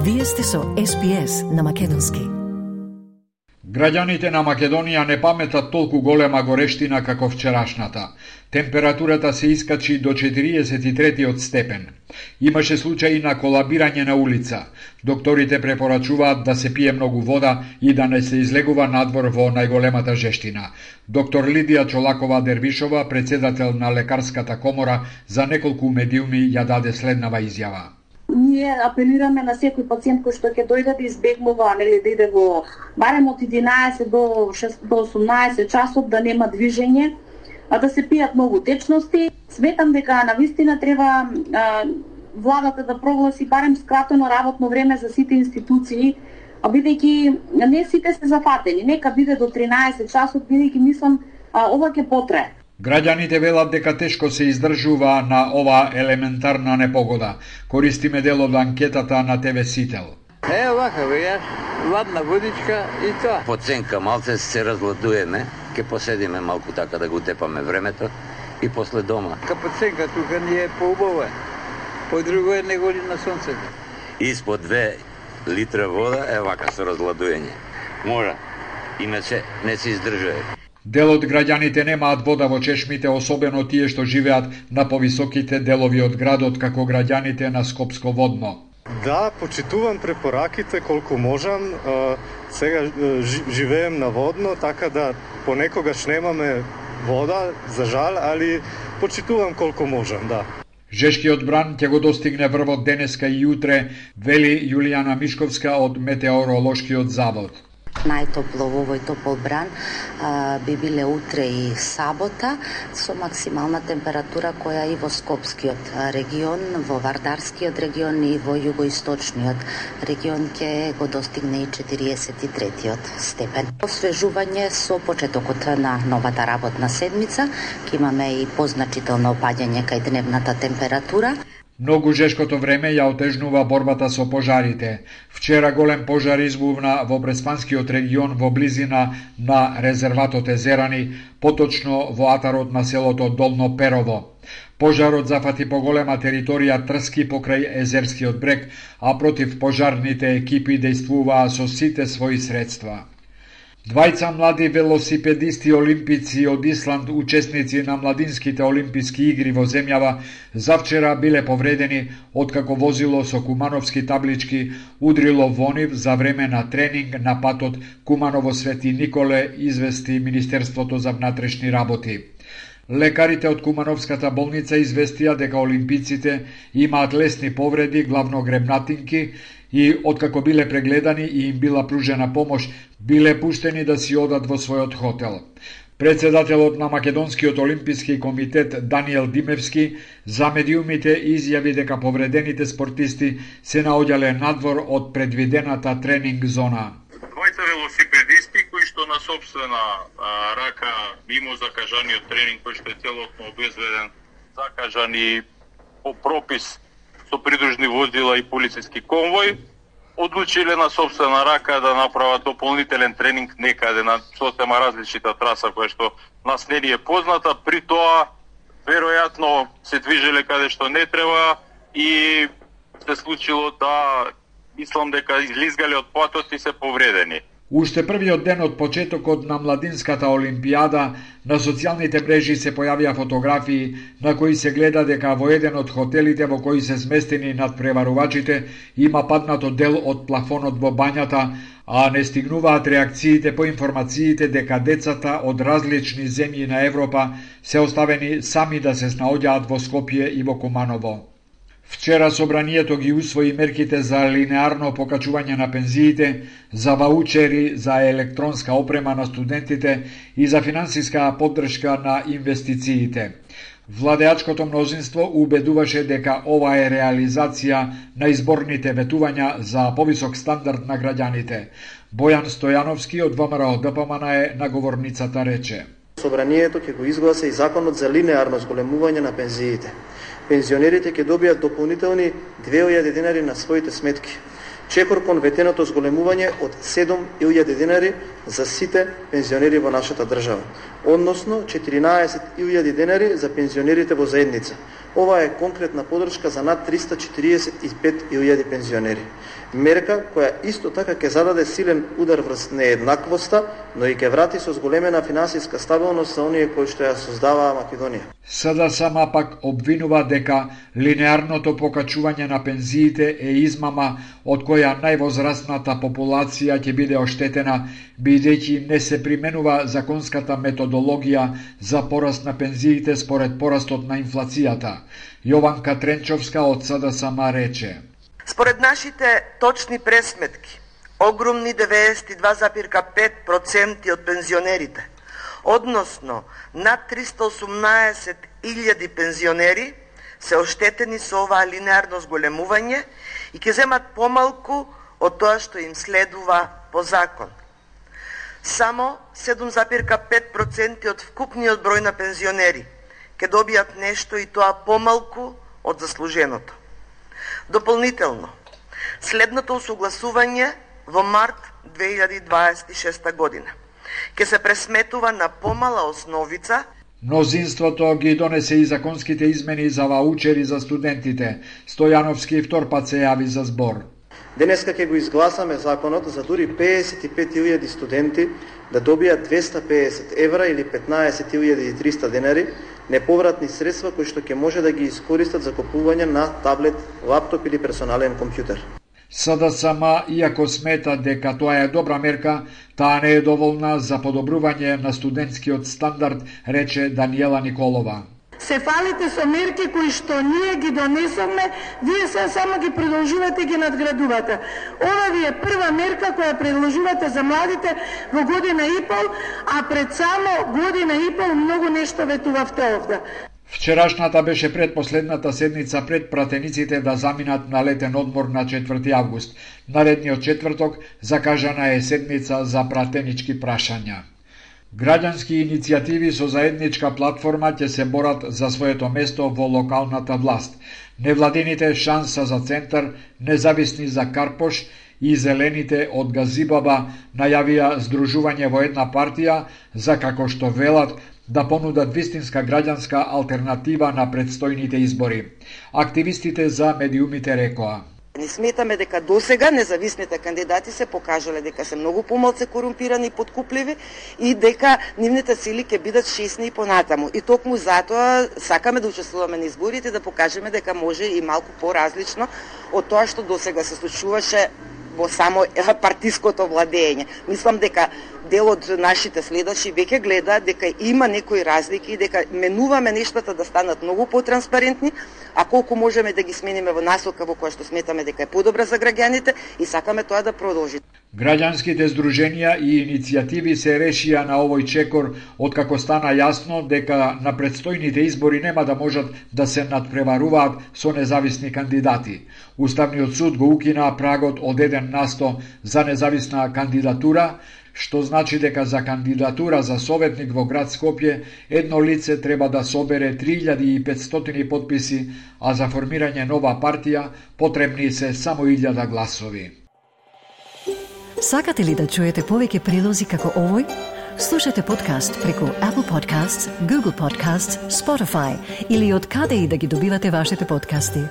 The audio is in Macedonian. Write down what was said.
Вие сте со SPS на македонски. Граѓаните на Македонија не паметат толку голема горештина како вчерашната. Температурата се искачи до 43 степен. Имаше случаи на колабирање на улица. Докторите препорачуваат да се пие многу вода и да не се излегува надвор во најголемата жештина. Доктор Лидија Чолакова-Дервишова, председател на Лекарската комора, за неколку медиуми ја даде следнава изјава. Ние апелираме на секој пациент кој што ќе дојде да избегнува, нели, да иде во барем од 11 до 18 часот, да нема движење, а да се пијат многу течности. Сметам дека навистина треба владата да прогласи барем скратено работно време за сите институции, а бидејќи не сите се зафатени, нека биде до 13 часот, бидејќи мислам ова ќе потрае. Граѓаните велат дека тешко се издржува на ова елементарна непогода. Користиме дел од анкетата на ТВ Сител. Вака беја, ладна водичка и тоа. Поценка малце се разладуеме, ќе поседиме малку така да го тепаме времето и после дома. Капоценка тука ни е поубава, по-друго е него ли на сонцето. Испод 2 литра вода вака со разладуење. Мора, иначе не се издржува. Дел од граѓаните немаат вода во чешмите, особено тие што живеат на повисоките делови од градот, како граѓаните на Скопско водно. Да, почитувам препораките колку можам. Сега живеем на водно, така да понекогаш немаме вода, за жал, али почитувам колку можам, да. Жешкиот бран ќе го достигне врвот денеска и утре, вели Јулијана Мишковска од Метеоролошкиот завод. Најтопло во овој топол бран би биле утре и сабота, со максимална температура која и во Скопскиот регион, во Вардарскиот регион и во југоисточниот регион ќе го достигне и 43 степен. Освежување со почетокот на новата работна седмица, ќе имаме и позначително опаѓање кај дневната температура. Многу жешкото време ја отежнува борбата со пожарите. Вчера голем пожар избувна во Преспанскиот регион во близина на резерватот Езерани, поточно во атарот на селото Долно Перово. Пожарот зафати поголема територија Трски покрај Езерскиот брег, а против пожарните екипи дејствуваа со сите своји средства. Двајца млади велосипедисти олимпици од Исланд, учесници на младинските олимписки игри во земјава, завчера биле повредени откако возило со кумановски таблички удрило во нив за време на тренинг на патот Куманово Свети Николе, извести Министерството за внатрешни работи. Лекарите од Кумановската болница известија дека олимпиците имаат лесни повреди, главно гребнатинки, и откако биле прегледани и им била пружена помош, биле пуштени да си одат во својот хотел. Председателот на Македонскиот олимписки комитет Даниел Димевски за медиумите изјави дека повредените спортисти се наоѓале надвор од предвидената тренинг зона. Двајца велосипедисти кои што на сопствена рака, мимо закажаниот тренинг кој што е целосно обезведен, закажани по пропис со придружни возила и полициски конвој, одлучиле на сопствена рака да направат дополнителен тренинг некаде на сосема различита траса која што нас не е позната, при тоа веројатно се движеле каде што не треба и се случило да мислам дека излизгале од патот и се повредени. Уште првиот ден од почетокот на младинската олимпијада, на социјалните мрежи се појавија фотографии на кои се гледа дека во еден од хотелите во кои се сместени надпреварувачите има паднато дел од плафонот во бањата, а не стигнуваат реакциите по информациите дека децата од различни земји на Европа се оставени сами да се наоѓаат во Скопје и во Куманово. Вчера собранието ги усвои мерките за линеарно покачување на пензиите, за ваучери за електронска опрема на студентите и за финансиска поддршка на инвестициите. Владеачкото мнозинство убедуваше дека ова е реализација на изборните ветувања за повисок стандард на граѓаните. Бојан Стојановски од ВМРО ДПМН е наговорницата рече. Собранието ќе го изгласа и законот за линеарно зголемување на пензиите. Пензионерите ќе добијат дополнителни 2000 денари на своите сметки. Чекор кон ветеното зголемување од 7000 денари за сите пензионери во нашата држава, односно 14000 денари за пензионерите во заедница. Ова е конкретна подршка за над 345.000 пензионери. Мерка која исто така ќе зададе силен удар врз нееднаквоста, но и ќе врати со зголемена финансиска стабилност за оние кои што ја создаваа Македонија. СДСМ пак обвинува дека линеарното покачување на пензиите е измама од која највозрастната популација ќе биде оштетена, бидејќи не се применува законската методологија за пораст на пензиите според порастот на инфлацијата. Јованка Тренчовска од СДСМ рече: Според нашите точни пресметки, огромни 92,5% од пензионерите, односно над 318.000 пензионери, се оштетени со оваа линеарно зголемување и ќе земат помалку од тоа што им следува по закон. Само 7,5% од вкупниот број на пензионери ќе добијат нешто и тоа помалку од заслуженото. Дополнително, следното усогласување во март 2026 година ќе се пресметува на помала основица. Мнозинството ги донесе и законските измени за ваучери за студентите. Стојановски втор пат се јави за збор. Денеска ќе го изгласаме законот за дури 55.000 студенти да добијат 250 евра или 15.300 денари неповратни средства кои што ќе може да ги искористат за купување на таблет, лаптоп или персонален компјутер. СДСМ, иако смета дека тоа е добра мерка, таа не е доволна за подобрување на студентскиот стандард, рече Даниела Николова. Се фалите со мерки кои што ние ги донесовме, вие се само ги продолжувате и ги надградувате. Ова ви е прва мерка која предложувате за младите во година и пол, а пред само година и пол многу нешто ветувавте овде. Вчерашната беше предпоследната седница пред пратениците да заминат на летен одмор на 4 август. Наредниот четврток закажана е седница за пратенички прашања. Граѓански иницијативи со заедничка платформа ќе се борат за своето место во локалната власт. Невладините Шанса за центар, Независни за Карпош и Зелените од Газибаба најавија здружување во една партија за, како што велат, да понудат вистинска граѓанска алтернатива на предстојните избори. Активистите за медиумите рекоа: Ни сметаме дека досега независните кандидати се покажале дека се многу помалку корумпирани и подкупливи и дека нивните сили ќе бидат шесни и понатаму. И токму затоа сакаме да учествуваме на изборите, да покажеме дека може и малку поразлично од тоа што досега се случуваше во само партиското владење. Мислам дека дел од нашите следачи веќе гледа дека има некои разлики и дека менуваме нештата да станат многу потранспарентни, а колку можеме да ги смениме во насока во која што сметаме дека е подобра за граѓаните и сакаме тоа да продолжи. Граѓанските здруженија и иницијативи се решија на овој чекор откако стана јасно дека на предстојните избори нема да можат да се надпреваруваат со независни кандидати. Уставниот суд го укина прагот од 1% за независна кандидатура, што значи дека за кандидатура за советник во град Скопје едно лице треба да собере 3500 потписи, а за формирање нова партија потребни се само 1000 гласови. Сакате ли да чуете повеќе прилози како овој? Слушате подкаст преку Apple Podcasts, Google Podcasts, Spotify или од каде и да ги добивате вашите подкасти.